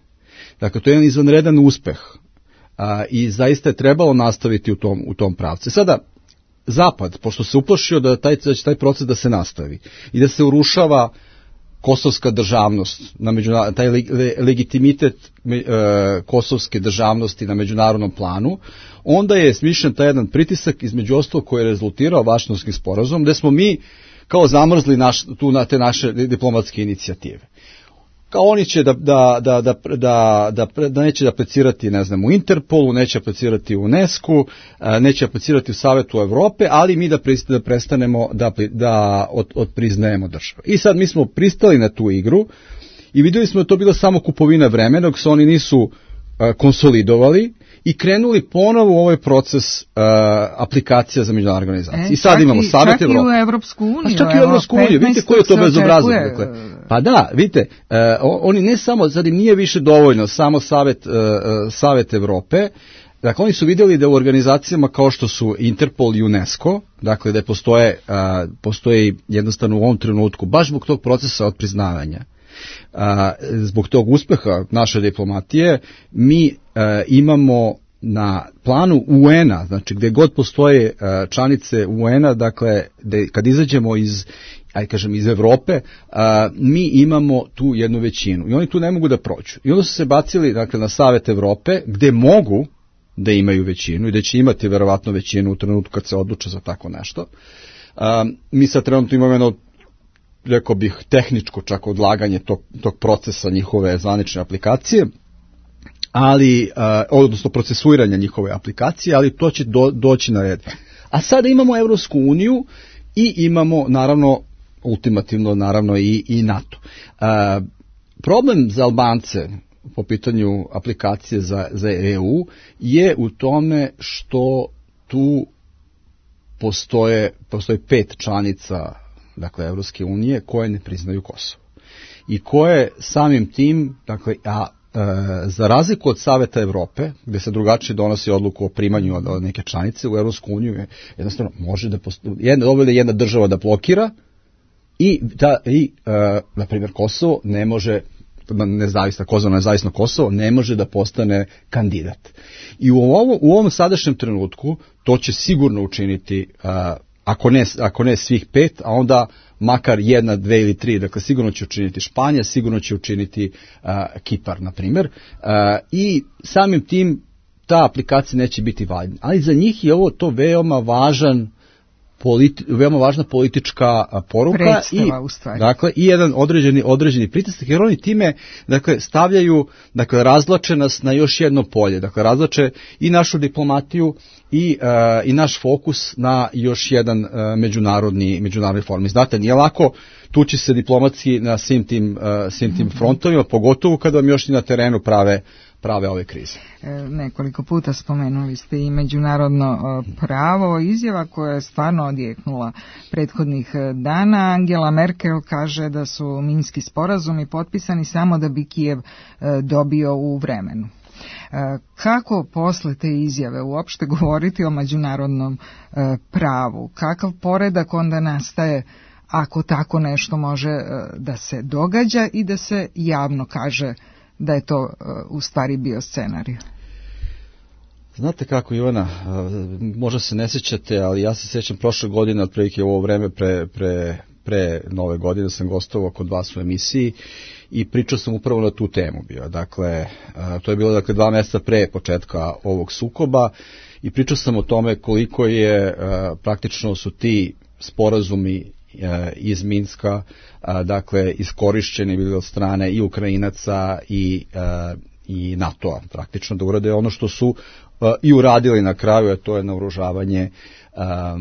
Dakle, to je jedan izvanredan uspeh a, i zaista je trebalo nastaviti u tom, u tom pravcu. Sada, Zapad, pošto se uplašio da, taj, da će taj proces da se nastavi i da se urušava kosovska državnost, na međunar... taj le... legitimitet e, kosovske državnosti na međunarodnom planu, onda je smišljen taj jedan pritisak između ostalog koji je rezultirao Vašingtonskim sporazumom, gde smo mi kao zamrzli naš, tu na te naše diplomatske inicijative. Kao oni će da, da, da, da, da, da, da neće aplicirati, ne znam, u Interpolu, neće aplicirati u UNESCO, neće aplicirati u Savetu Evrope, ali mi da, prist, da prestanemo da, da od, odpriznajemo državu. I sad mi smo pristali na tu igru i vidjeli smo da to bilo samo kupovina vremena, dok se oni nisu a, konsolidovali i krenuli ponovo u ovaj proces uh, aplikacija za međunarodne organizacije. E, I sad imamo Savet Evrope. Čak i u Evropsku uniju. A čak i u Evropsku uniju. Vidite koji je to bezobrazno. Dakle. Pa da, vidite, uh, oni ne samo, sad im nije više dovoljno samo Savet, uh, Savet Evrope, dakle oni su vidjeli da u organizacijama kao što su Interpol i UNESCO, dakle da postoje, uh, postoje jednostavno u ovom trenutku, baš zbog tog procesa odpriznavanja, A, zbog tog uspeha naše diplomatije, mi a, imamo na planu U N-a, znači gde god postoje a, članice U N-a, dakle, de, kad izađemo iz, aj kažem, iz Evrope, a, mi imamo tu jednu većinu i oni tu ne mogu da prođu. I onda su se bacili, dakle, na Savet Evrope, gde mogu da imaju većinu i da će imati verovatno većinu u trenutku kad se odluče za tako nešto. A, mi sad trenutno imamo jedno, rekao bih, tehničko čak odlaganje tog, tog procesa njihove zvanične aplikacije, ali, uh, odnosno procesuiranja njihove aplikacije, ali to će do, doći na red. A sada imamo Evropsku uniju i imamo, naravno, ultimativno, naravno, i, i NATO. Uh, problem za Albance po pitanju aplikacije za, za E U je u tome što tu postoje, postoje pet članica, dakle, Evropske unije, koje ne priznaju Kosovo. I koje samim tim, dakle, a e, za razliku od Saveta Evrope, gde se drugačije donosi odluku o primanju od, od neke članice, u Evropsku uniju je jednostavno može da postoji, jedna, dovoljno jedna država da blokira i, da, i e, na primjer, Kosovo ne može, nezavisno Kosovo, nezavisno Kosovo, ne može da postane kandidat. I u ovom, u ovom sadašnjem trenutku to će sigurno učiniti a, Ako ne, ako ne svih pet, a onda makar jedna, dve ili tri, dakle sigurno će učiniti Španija, sigurno će učiniti uh, Kipar, na primjer, uh, i samim tim ta aplikacija neće biti validna. Ali za njih je ovo to veoma važan politi, veoma važna politička poruka. Predstava, i, u stvari. Dakle, i jedan određeni, određeni pritisak, jer oni time dakle, stavljaju, dakle, razlače nas na još jedno polje. Dakle, razlače i našu diplomatiju i, uh, i naš fokus na još jedan uh, međunarodni, međunarodni forum. Znate, nije lako tući se diplomatski na svim tim, uh, svim tim frontovima, pogotovo kada vam još i na terenu prave prave ove krize. E, nekoliko puta spomenuli ste i međunarodno pravo, izjava koja je stvarno odjeknula prethodnih dana. Angela Merkel kaže da su minski sporazumi potpisani samo da bi Kijev dobio u vremenu. Kako posle te izjave uopšte govoriti o međunarodnom pravu? Kakav poredak onda nastaje ako tako nešto može da se događa i da se javno kaže da je to uh, u stvari bio scenarij? Znate kako, Ivana, možda se ne sjećate, ali ja se sjećam prošle godine, otprilike u ovo vreme pre, pre, pre nove godine sam gostovao kod vas u emisiji i pričao sam upravo na tu temu bio. Dakle, to je bilo dakle, dva mjeseca pre početka ovog sukoba i pričao sam o tome koliko je praktično su ti sporazumi iz Minska, dakle, iskorišćeni bili od strane i Ukrajinaca i, i NATO-a, praktično da urade ono što su i uradili na kraju, a to je naoružavanje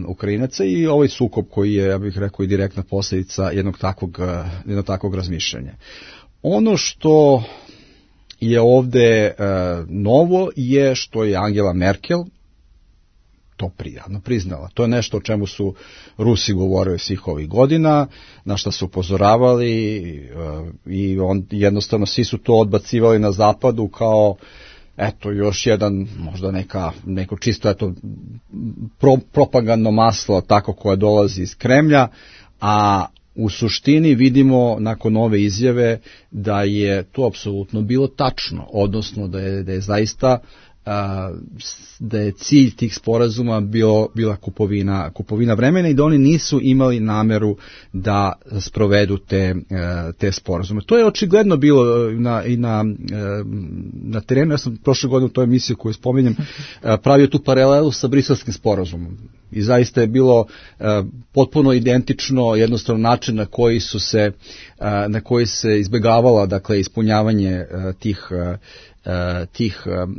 Ukrajinaca i ovaj sukob koji je, ja bih rekao, i direktna posljedica jednog takvog, jednog takvog razmišljanja. Ono što je ovde novo je što je Angela Merkel to prijavno priznala. To je nešto o čemu su Rusi govorili svih ovih godina, na što su upozoravali i on, jednostavno svi su to odbacivali na zapadu kao eto još jedan možda neka, neko čisto eto, pro, propagandno maslo tako koje dolazi iz Kremlja, a u suštini vidimo nakon ove izjave da je to apsolutno bilo tačno, odnosno da je, da je zaista da je cilj tih sporazuma bio, bila kupovina, kupovina vremena i da oni nisu imali nameru da sprovedu te, te sporazume. To je očigledno bilo na, i na, na terenu. Ja sam prošle godine u toj emisiji koju spominjem pravio tu paralelu sa briselskim sporazumom. I zaista je bilo uh, potpuno identično jednostavno način na koji su se uh, na koji se izbjegavala dakle ispunjavanje uh, tih uh, tih um,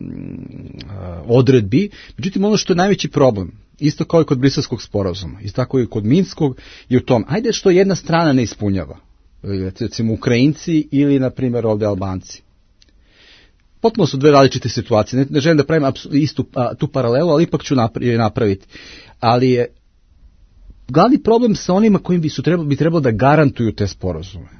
uh, odredbi. Međutim, ono što je najveći problem, isto kao i kod briselskog sporazuma, isto tako i kod minskog, je u tom, ajde što jedna strana ne ispunjava, recimo Ukrajinci ili na primjer ovdje Albanci. Potpuno su dve različite situacije. Ne, ne želim da pravim istu a, tu paralelu, ali ipak ću napraviti. Ali je glavni problem sa onima kojim bi, su trebalo, bi trebalo da garantuju te sporazume.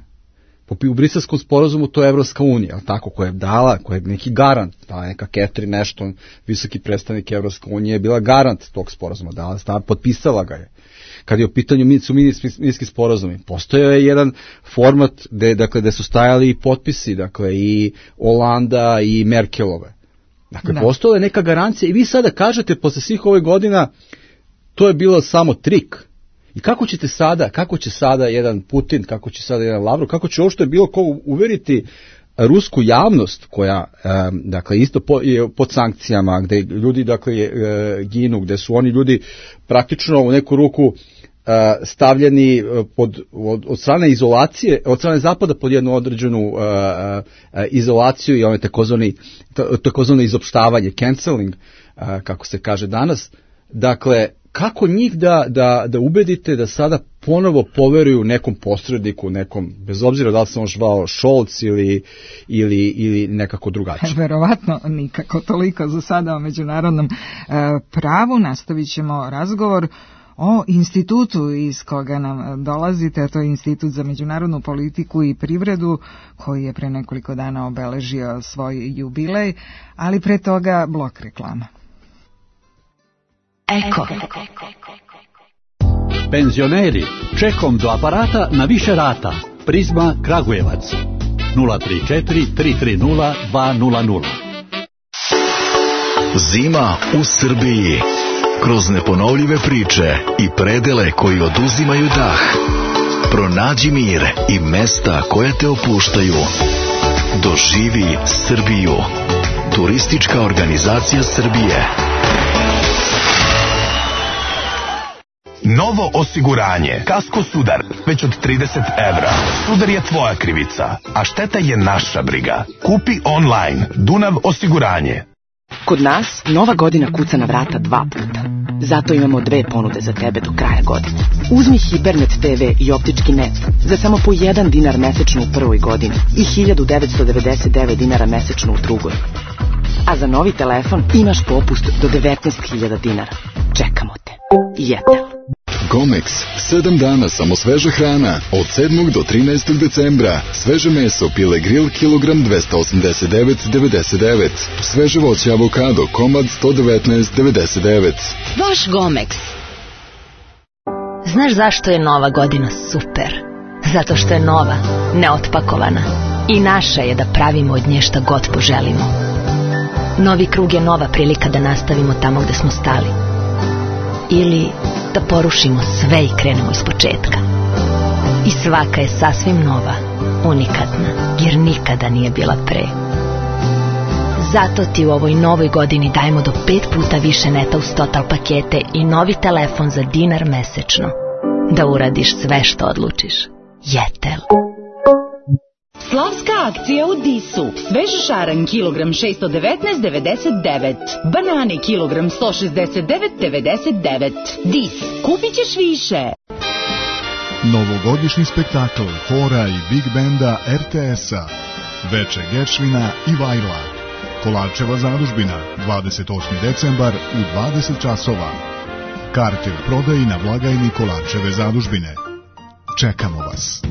U briselskom sporazumu to je Evropska unija, tako, koja je dala, koja je neki garant, ta neka Catherine Ashton, visoki predstavnik Evropske unije, je bila garant tog sporazuma, dala, stava, potpisala ga je. Kad je u pitanju su minski sporazumi, postojao je jedan format gde, dakle, gde su stajali i potpisi, dakle, i Olanda i Merkelove. Dakle, da. Postojala je neka garancija i vi sada kažete, posle svih ovih godina, to je bilo samo trik. I kako ćete sada, kako će sada jedan Putin, kako će sada jedan Lavrov, kako će uopšte bilo ko uveriti rusku javnost koja, dakle, isto po, je pod sankcijama, gde ljudi, dakle, ginu, gde su oni ljudi praktično u neku ruku stavljeni pod, od, od strane izolacije, od strane zapada pod jednu određenu uh, uh, izolaciju i ono takozvani, takozvano izopštavanje, canceling, uh, kako se kaže danas. Dakle, kako njih da, da, da ubedite da sada ponovo poveruju nekom posredniku, nekom, bez obzira da li se on zvao Scholz ili, ili, ili nekako drugačije? Verovatno nikako toliko za sada o međunarodnom e, pravu. Nastavit ćemo razgovor o institutu iz koga nam dolazite, a to je Institut za međunarodnu politiku i privredu, koji je pre nekoliko dana obeležio svoj jubilej, ali pre toga blok reklama. Eko. Penzioneri, čekom do aparata na više rata. Prizma Kragujevac. nula tri četiri tri tri nula dva nula nula. Zima u Srbiji. Kroz neponovljive priče i predele koji oduzimaju dah. Pronađi mir i mesta koje te opuštaju. Doživi Srbiju. Turistička organizacija Srbije. Novo osiguranje. Kasko sudar. Već od trideset evra. Sudar je tvoja krivica, a šteta je naša briga. Kupi online. Dunav osiguranje. Kod nas nova godina kuca na vrata dva puta. Zato imamo dve ponude za tebe do kraja godine. Uzmi Hipernet te ve i optički net za samo po jedan dinar mesečno u prvoj godini i hiljadu devetsto devedeset devet dinara mesečno u drugoj. A za novi telefon imaš popust do devetnaest hiljada dinara. Čekamo te. Jetel. Gomex, sedam dana samo sveža hrana, od sedmog do trinaestog decembra. Sveže meso, pile grill, kilogram dvesta osamdeset devet devedeset devet. Sveže voće avokado, komad sto devetnaest devedeset devet. Vaš Gomex. Znaš zašto je nova godina super? Zato što je nova, neotpakovana. I naša je da pravimo od nje šta god poželimo. Novi krug je nova prilika da nastavimo tamo gde smo stali. Ili da porušimo sve i krenemo iz početka. I svaka je sasvim nova, unikatna, jer nikada nije bila pre. Zato ti u ovoj novoj godini dajemo do pet puta više neta uz total pakete i novi telefon za dinar mesečno. Da uradiš sve što odlučiš. Jetel. Slavska akcija u Disu. Svež šaran kilogram šesto devetnaest devedeset devet. Banane kilogram sto šezdeset devet devedeset devet. Dis. Kupit ćeš više. Novogodišnji spektakl hora i big benda er te es-a. Veče Geršvina i Vajla. Kolarčeva zadužbina, dvadeset osmi decembar u dvadeset časova. Karte u prodaji na blagajni Kolarčeve zadužbine. Čekamo vas.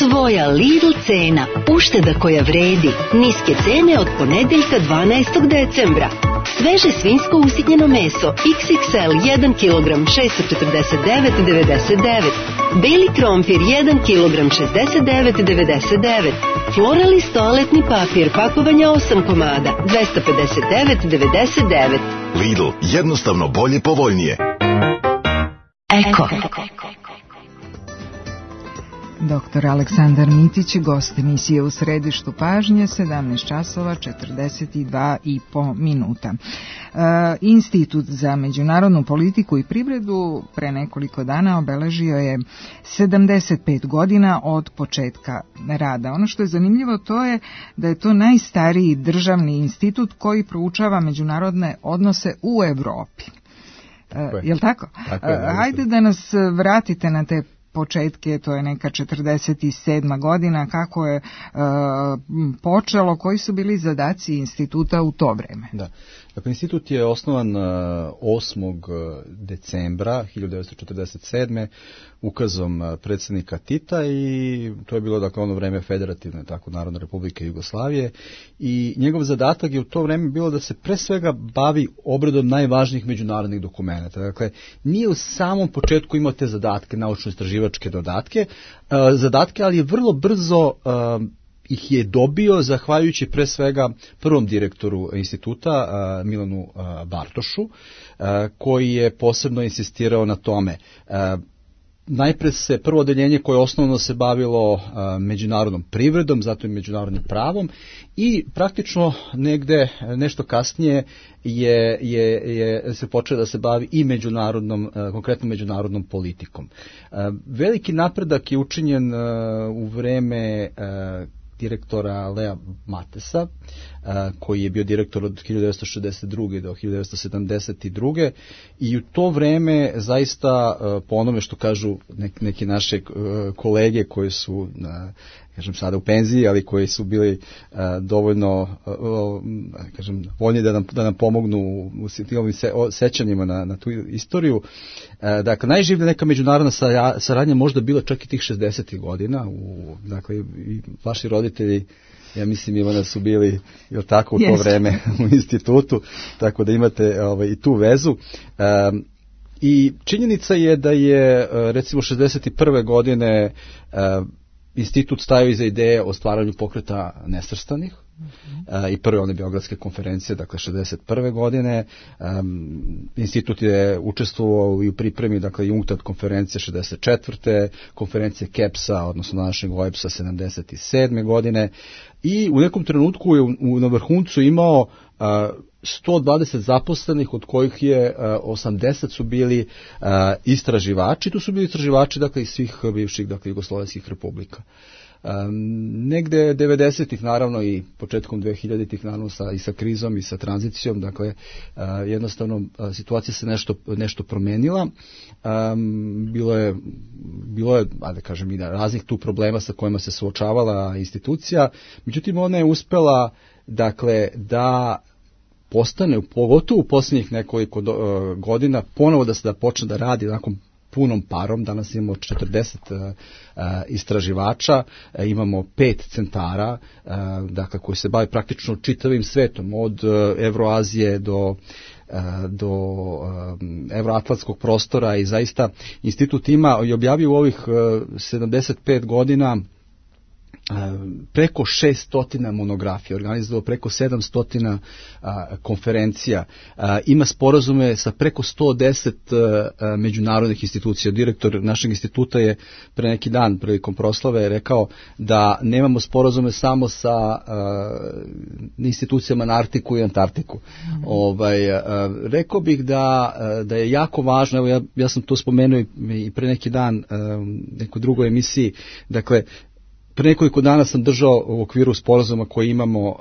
Tvoja Lidl cena, ušteda koja vredi, niske cene od ponedeljka dvanaestog decembra. Sveže svinjsko usitnjeno meso, iks iks el jedan kilogram šesto četrdeset devet devedeset devet. Beli krompir jedan kilogram šezdeset devet devedeset devet. Florali toaletni papir, pakovanja osam komada, dvesta pedeset devet devedeset devet. Lidl, jednostavno bolje, povoljnije. Eko. Doktor Aleksandar Mitić, gost emisije U središtu pažnje, sedamnaest časova četrdeset dva i po minuta. E, Institut za međunarodnu politiku i privredu pre nekoliko dana obeležio je sedamdeset pet godina od početka rada. Ono što je zanimljivo to je da je to najstariji državni institut koji proučava međunarodne odnose u Evropi. E, je li tako? tako je, e, hajde da nas vratite na te početke, to je neka četrdeset sedma godina, kako je e, počelo, koji su bili zadaci instituta u to vreme? Da. Dakle, institut je osnovan osmog decembra hiljadu devetsto četrdeset sedme ukazom predsjednika Tita i to je bilo dakle ono vreme federativne, tako Narodne republike Jugoslavije i njegov zadatak je u to vreme bilo da se pre svega bavi obradom najvažnijih međunarodnih dokumenata. Dakle, nije u samom početku imao te zadatke, naučno-istraživačke dodatke, zadatke, ali je vrlo brzo ih je dobio zahvaljujući pre svega prvom direktoru instituta Milanu Bartošu, koji je posebno insistirao na tome. Najpre se prvo odeljenje koje osnovno se bavilo međunarodnom privredom, zatim međunarodnim pravom i praktično negde nešto kasnije je, je, je se počeo da se bavi i međunarodnom, konkretno međunarodnom politikom. Veliki napredak je učinjen u vreme direktora Lea Matesa, koji je bio direktor od hiljadu devetsto šezdeset druge do hiljadu devetsto sedamdeset druge i u to vreme zaista, po onome što kažu neki naše kolege koji su, kažem sada u penziji, ali koji su bili dovoljno, kažem, voljni da nam, da nam pomognu u ovim sećanjima na, na tu istoriju. Dakle, najživlja neka međunarodna saradnja možda bila čak i tih šezdesetih godina. U, dakle, i vaši roditelji, ja mislim, Ivana, su bili jel tako u to yes. vreme u institutu, tako da imate ovaj, i tu vezu. Um, I činjenica je da je recimo šezdeset prve godine uh, institut stajao iza ideje o stvaranju pokreta nesvrstanih, i prve one Beogradske konferencije, dakle šezdeset prve godine. Institut je učestvovao i u pripremi, dakle i UNCTAD konferencije šezdeset četvrte konferencije KEPS-a, odnosno današnjeg O E B S-a sedamdeset sedme godine, i u nekom trenutku je u, na vrhuncu imao sto dvadeset zaposlenih, od kojih je osamdeset su bili istraživači. Tu su bili istraživači, dakle, iz svih bivših, dakle, jugoslovenskih republika. Um, negde devedesetih naravno i početkom dvehiljaditih naravno sa, i sa krizom i sa tranzicijom, dakle uh, jednostavno uh, situacija se nešto, nešto promenila. Um, bilo je, bilo je a da kažem, i raznih tu problema sa kojima se suočavala institucija, međutim ona je uspela, dakle, da postane, pogotovo u posljednjih nekoliko do, uh, godina, ponovo da se da počne da radi nakon punom parom. Danas imamo četrdeset uh, istraživača, uh, imamo pet centara, uh, dakle, koji se bave praktično čitavim svetom, od uh, Evroazije do uh, do um, evroatlantskog prostora, i zaista institut ima i objavio u ovih uh, sedamdeset pet godina preko šessto monografija, organizovao preko sedamsto konferencija, a, ima sporazume sa preko sto deset a, međunarodnih institucija. Direktor našeg instituta je pre neki dan prilikom proslave rekao da nemamo sporazume samo sa a, institucijama na Arktiku i Antarktiku. Mm-hmm. Ovaj, a, rekao bih da, a, da je jako važno, evo ja, ja sam to spomenuo i pre neki dan a, nekoj drugoj emisiji, dakle, pre nekoliko dana sam držao u okviru sporazuma koji imamo, uh,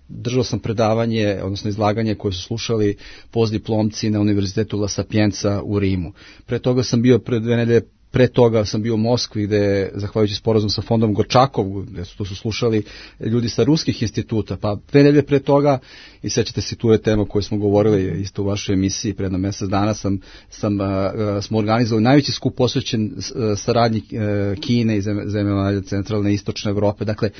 držao sam predavanje, odnosno izlaganje koje su slušali postdiplomci na Univerzitetu La Sapienza u Rimu. Pre toga sam bio pre dve nedelje, pre toga sam bio u Moskvi, gde, zahvaljujući sporazum sa fondom Gorčakov, gde su, to su slušali ljudi sa ruskih instituta, pa dve nedelje pre toga, i sećate se, tu je tema koju smo govorili isto u vašoj emisiji pre jedno mesec dana, sam, sam, uh, smo organizovali najveći skup posvećen uh, saradnji uh, Kine i zemalja centralne i istočne Evrope. Dakle,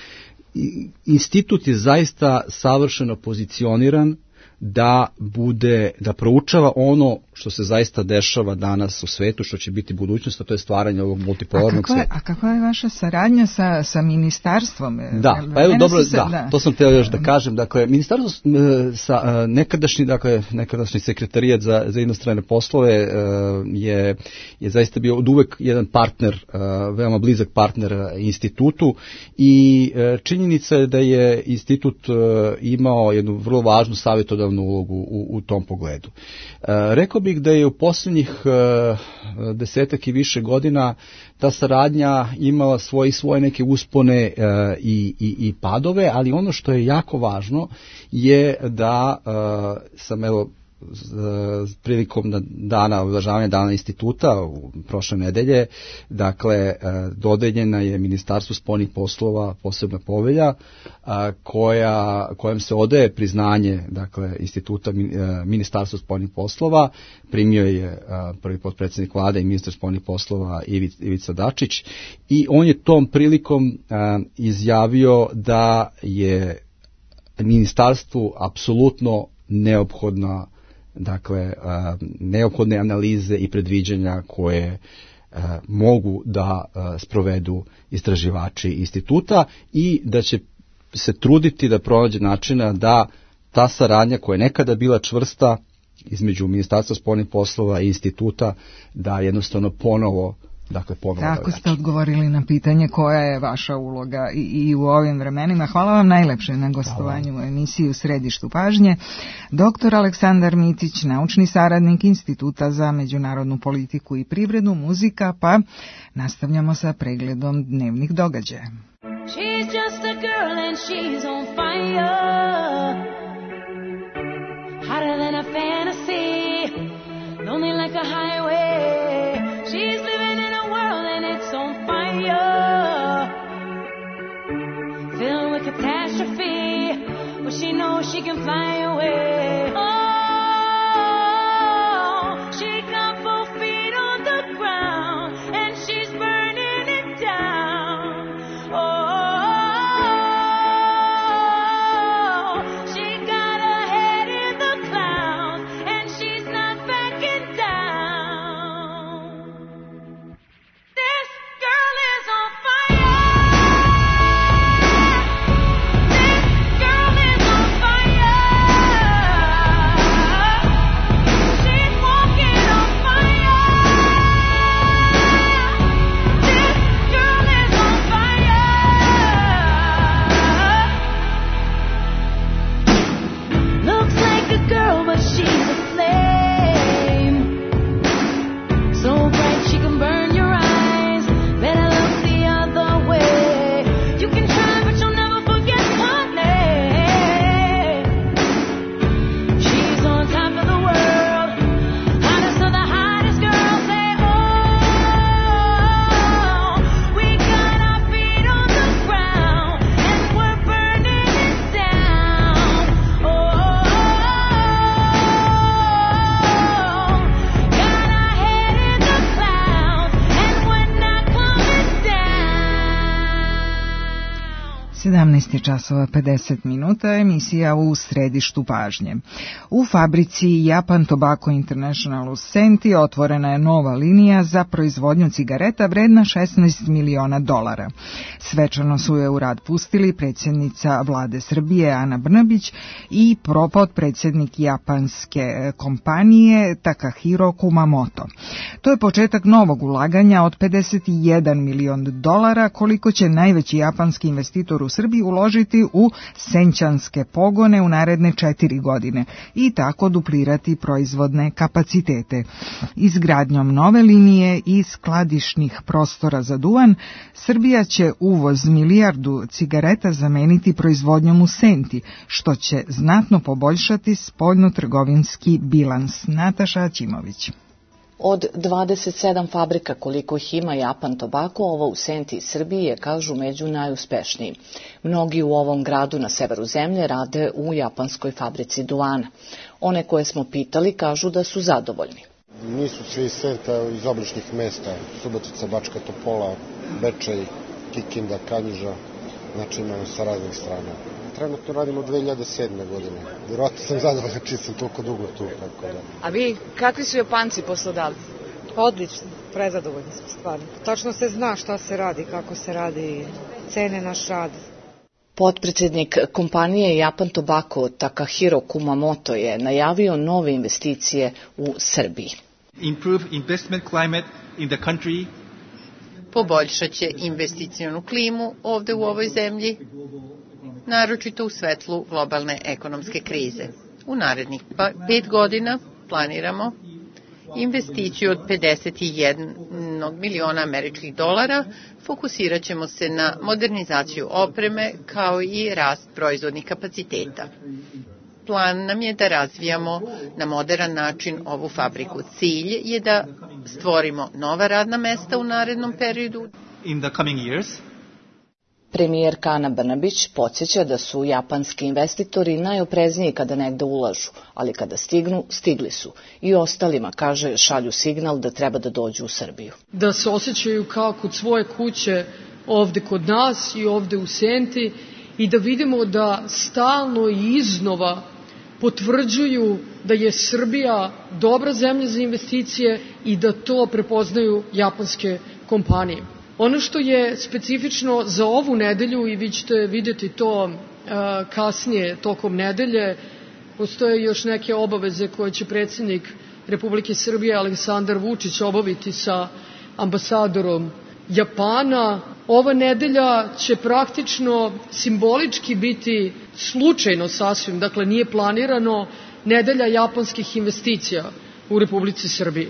institut je zaista savršeno pozicioniran da bude, da proučava ono što se zaista dešava danas u svetu, što će biti budućnost, a to je stvaranje ovog multipolarnog sveta. A kakva je vaša saradnja sa, sa ministarstvom? Da, pa evo dobro, se, da, da, to sam htio još da kažem. Dakle, ministarstvo sa nekadašnji, dakle, nekadašnji sekretarijat za, za inostrane poslove je, je zaista bio od uvek jedan partner, veoma blizak partner institutu, i činjenica je da je institut imao jednu vrlo važnu savjetodavnu ulogu u, u tom pogledu. Rekao bih da je u posljednjih uh, desetak i više godina ta saradnja imala svoje svoje neke uspone uh, i, i, i padove, ali ono što je jako važno je da uh, sam evo prilikom dana obeležavanja dana instituta u prošle nedelje, dakle, dodeljena je Ministarstvu spoljnih poslova posebna povelja koja, kojom se odaje priznanje, dakle, instituta Ministarstva spoljnih poslova. Primio je prvi potpredsjednik vlade i ministar spoljnih poslova Ivica Dačić, i on je tom prilikom izjavio da je ministarstvu apsolutno neophodna, dakle, neophodne analize i predviđanja koje mogu da sprovedu istraživači instituta, i da će se truditi da pronađe načina da ta saradnja koja je nekada bila čvrsta između Ministarstva spoljnih poslova i instituta, da jednostavno ponovo, dakle, ponovo. Tako ste odgovorili na pitanje koja je vaša uloga i, i u ovim vremenima. Hvala vam najlepše na gostovanju u emisiji U središtu pažnje. Doktor Aleksandar Mitić, naučni saradnik Instituta za međunarodnu politiku i privredu, muzika, pa nastavljamo sa pregledom dnevnih događaja. She's just a girl and she's on fire, hotter than a fantasy, lonely like a highway. She's living in a world and it's on fire, filled with catastrophe, but she knows she can fly away. Oh, she got both feet on the ground and she's burning it down. Oh, she got her head in the clouds. sedamnaest časova pedeset minuta, emisija u središtu pažnje. U fabrici Japan Tobacco International u Senti otvorena je nova linija za proizvodnju cigareta vredna šesnaest miliona dolara. Svečano su je u rad pustili predsjednica vlade Srbije Ana Brnabić i potpredsjednik japanske kompanije Takahiro Kumamoto. To je početak novog ulaganja od pedeset jedan milion dolara, koliko će najveći japanski investitor u Srbiji uložiti u senćanske pogone u naredne četiri godine i tako duplirati proizvodne kapacitete. Izgradnjom nove linije i skladišnih prostora za duvan, Srbija će uvoz milijardu cigareta zameniti proizvodnjom u Senti, što će znatno poboljšati spoljnotrgovinski bilans. Nataša Aćimović. Od dvadeset sedam fabrika koliko ih ima Japan Tobacco, ovo u Senti Srbiji je, kažu, među najuspešnijim. Mnogi u ovom gradu na severu zemlje rade u japanskoj fabrici duvana. One koje smo pitali kažu da su zadovoljni. Nisu svi iz Senta, iz obližnjih mesta, Subotica, Bačka Topola, Bečej, Kikinda, Kanjiža, znači imamo sa raznih strana. Trenutno radimo dve hiljade sedme. godine. Vjerojatno sam zadovoljan čim sam toliko dugo tu. Tako da. A vi, kakvi su Japanci poslodavci? Odlično, prezadovoljni smo stvarno. Tačno se zna šta se radi, kako se radi, cene naš rad. Potpredsjednik kompanije Japan Tobacco Takahiro Kumamoto je najavio nove investicije u Srbiji. Improve investment climate in the country. Poboljšat će investicionu klimu ovde u ovoj zemlji, naročito u svetlu globalne ekonomske krize. U narednih pet godina planiramo investiciju od pedeset jedan miliona američkih dolara, fokusirat ćemo se na modernizaciju opreme kao i rast proizvodnih kapaciteta. Plan nam je da razvijamo na moderan način ovu fabriku. Cilj je da stvorimo nova radna mesta u narednom periodu. In the coming years. Premijerka Ana Brnabić podsjeća da su japanski investitori najoprezniji kada negde ulažu, ali kada stignu, stigli su. I ostalima, kaže, šalju signal da treba da dođu u Srbiju. Da se osjećaju kao kod svoje kuće ovde kod nas i ovde u Senti i da vidimo da stalno i iznova potvrđuju da je Srbija dobra zemlja za investicije i da to prepoznaju japanske kompanije. Ono što je specifično za ovu nedelju, i vi ćete vidjeti to uh, kasnije tokom nedelje, postoje još neke obaveze koje će predsjednik Republike Srbije Aleksandar Vučić obaviti sa ambasadorom Japana. Ova nedelja će praktično simbolički biti slučajno sasvim, dakle nije planirano, nedelja japanskih investicija u Republici Srbiji.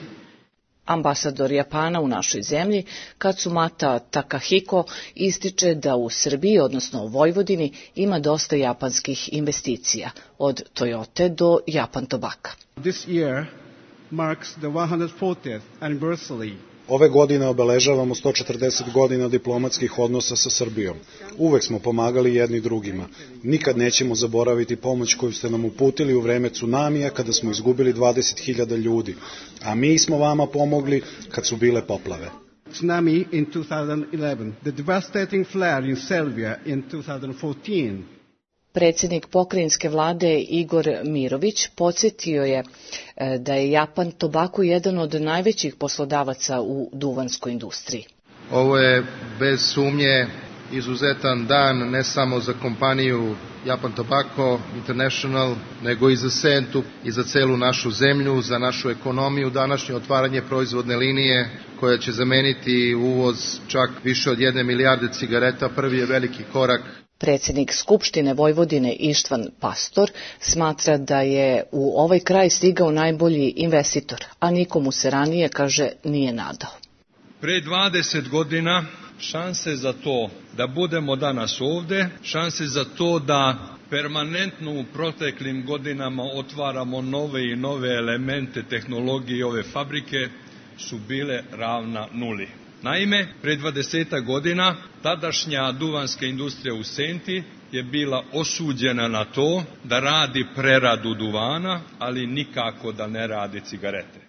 Ambasador Japana u našoj zemlji, Katsumata Takahiko, ističe da u Srbiji, odnosno u Vojvodini, ima dosta japanskih investicija, od Toyote do Japan Tobacco. This year marks the one hundred fortieth anniversary. Ove godine obeležavamo sto četrdeset godina diplomatskih odnosa sa Srbijom. Uvek smo pomagali jedni drugima. Nikad nećemo zaboraviti pomoć koju ste nam uputili u vreme tsunamija kada smo izgubili dvadeset hiljada ljudi, a mi smo vama pomogli kad su bile poplave. Tsunami in two thousand eleven, the devastating flare in Serbia in two thousand fourteen. Predsjednik pokrajinske vlade Igor Mirović podsjetio je da je Japan Tobacco jedan od najvećih poslodavaca u duvanskoj industriji. Ovo je bez sumnje izuzetan dan ne samo za kompaniju Japan Tobacco International, nego i za Sentu i za celu našu zemlju, za našu ekonomiju. Današnje otvaranje proizvodne linije koja će zameniti uvoz čak više od jedne milijarde cigareta, prvi je veliki korak. Predsjednik Skupštine Vojvodine Ištvan Pastor smatra da je u ovaj kraj stigao najbolji investitor, a nikomu se ranije, kaže, nije nadao. Pre dvadeset godina šanse za to da budemo danas ovde, šanse za to da permanentno u proteklim godinama otvaramo nove i nove elemente tehnologije ove fabrike su bile ravna nuli. Naime, pre dvadesetak godina tadašnja duvanska industrija u Senti je bila osuđena na to da radi preradu duvana, ali nikako da ne radi cigarete.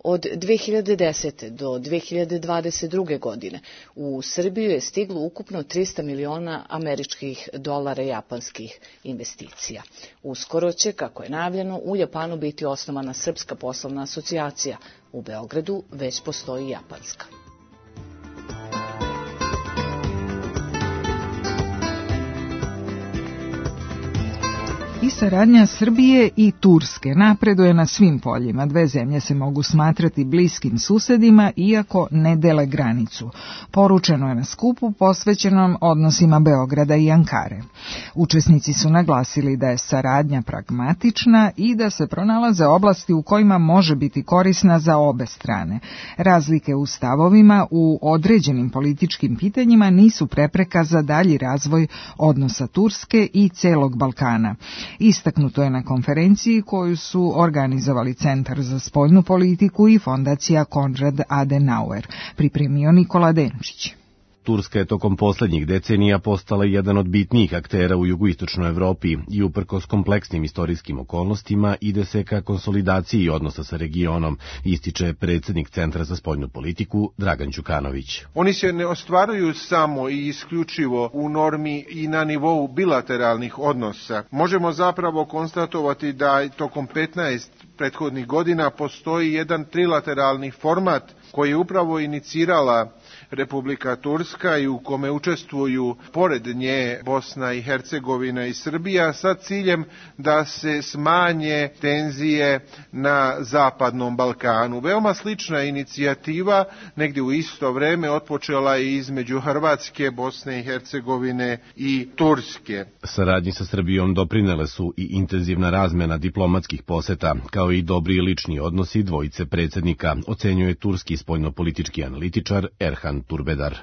Od dve hiljade desete. do dve hiljade dvadeset druge. godine u Srbiju je stiglo ukupno trista miliona američkih dolara japanskih investicija. Uskoro će, kako je najavljeno, u Japanu biti osnovana Srpska poslovna asocijacija. U Beogradu već postoji japanska. I saradnja Srbije i Turske napreduje na svim poljima. Dve zemlje se mogu smatrati bliskim susedima, iako ne dele granicu. Poručeno je na skupu posvećenom odnosima Beograda i Ankare. Učesnici su naglasili da je saradnja pragmatična i da se pronalaze oblasti u kojima može biti korisna za obe strane. Razlike u stavovima u određenim političkim pitanjima nisu prepreka za dalji razvoj odnosa Turske i celog Balkana. Istaknuto je na konferenciji koju su organizovali Centar za spoljnu politiku i fondacija Konrad Adenauer, pripremio Nikola Denčić. Turska je tokom poslednjih decenija postala jedan od bitnijih aktera u jugoistočnoj Evropi i uprkos kompleksnim istorijskim okolnostima ide se ka konsolidaciji odnosa sa regionom, ističe predsednik Centra za spoljnu politiku Dragan Đukanović. Oni se ne ostvaruju samo i isključivo u normi i na nivou bilateralnih odnosa. Možemo zapravo konstatovati da tokom petnaest prethodnih godina postoji jedan trilateralni format koji je upravo inicirala Republika Turska i u kome učestvuju pored nje Bosna i Hercegovina i Srbija sa ciljem da se smanje tenzije na Zapadnom Balkanu. Veoma slična inicijativa negdje u isto vreme otpočela je između Hrvatske, Bosne i Hercegovine i Turske. Saradnji sa Srbijom doprinele su i intenzivna razmena diplomatskih poseta, kao i dobri lični odnosi dvojice predsednika, ocenjuje turski spoljnopolitički analitičar Erhan Turbedar.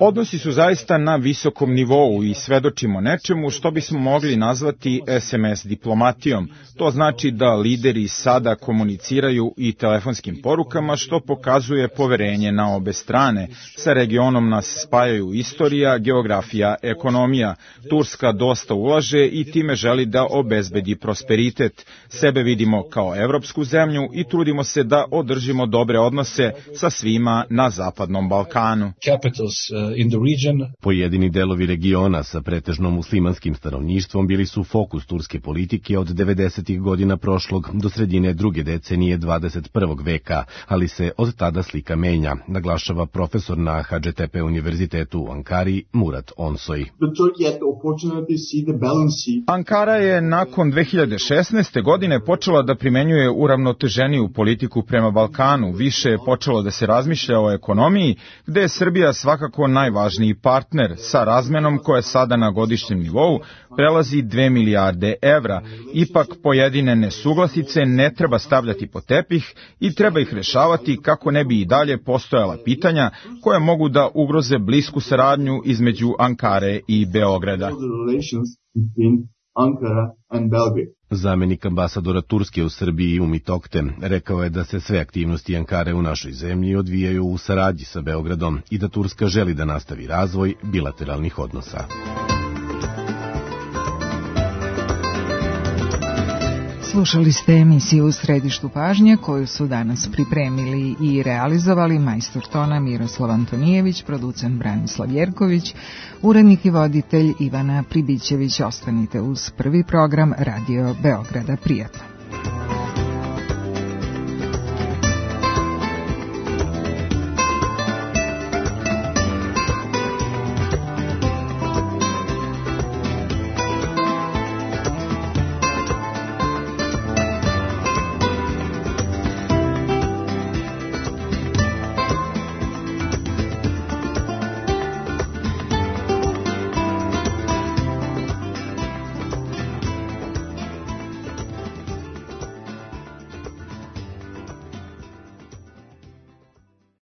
Odnosi su zaista na visokom nivou i svedočimo nečemu što bismo mogli nazvati es em es diplomatijom. To znači da lideri sada komuniciraju i telefonskim porukama, što pokazuje poverenje na obe strane. Sa regionom nas spajaju istorija, geografija, ekonomija. Turska dosta ulaže i time želi da obezbedi prosperitet. Sebe vidimo kao evropsku zemlju i trudimo se da održimo dobre odnose sa svima na Zapadnom Balkanu. Pojedini delovi regiona sa pretežno muslimanskim stanovništvom bili su fokus turske politike od devedesetih godina prošlog do sredine druge decenije dvadeset prvog veka, ali se od tada slika menja, naglašava profesor na ha dže te pe univerzitetu u Ankari Murat Onsoj. Ankara je nakon dve hiljade šesnaeste. godine počela da primenjuje uravnoteženiju politiku prema Balkanu. Više je počelo da se razmišlja o ekonomiji, gde je Srbija svakako najvažniji partner sa razmenom koja sada na godišnjem nivou prelazi dve milijarde evra. Ipak pojedine nesuglasice ne treba stavljati pod tepih i treba ih rešavati kako ne bi i dalje postojala pitanja koja mogu da ugroze blisku saradnju između Ankare i Beograda. Zamenik ambasadora Turske u Srbiji Umit Okte rekao je da se sve aktivnosti Ankare u našoj zemlji odvijaju u saradnji sa Beogradom i da Turska želi da nastavi razvoj bilateralnih odnosa. Slušali ste emisiju U središtu pažnje koju su danas pripremili i realizovali majstor tona Miroslav Antonijević, producent Branislav Jerković, urednik i voditelj Ivana Pribićević. Ostanite uz prvi program Radio Beograda. Prijatno.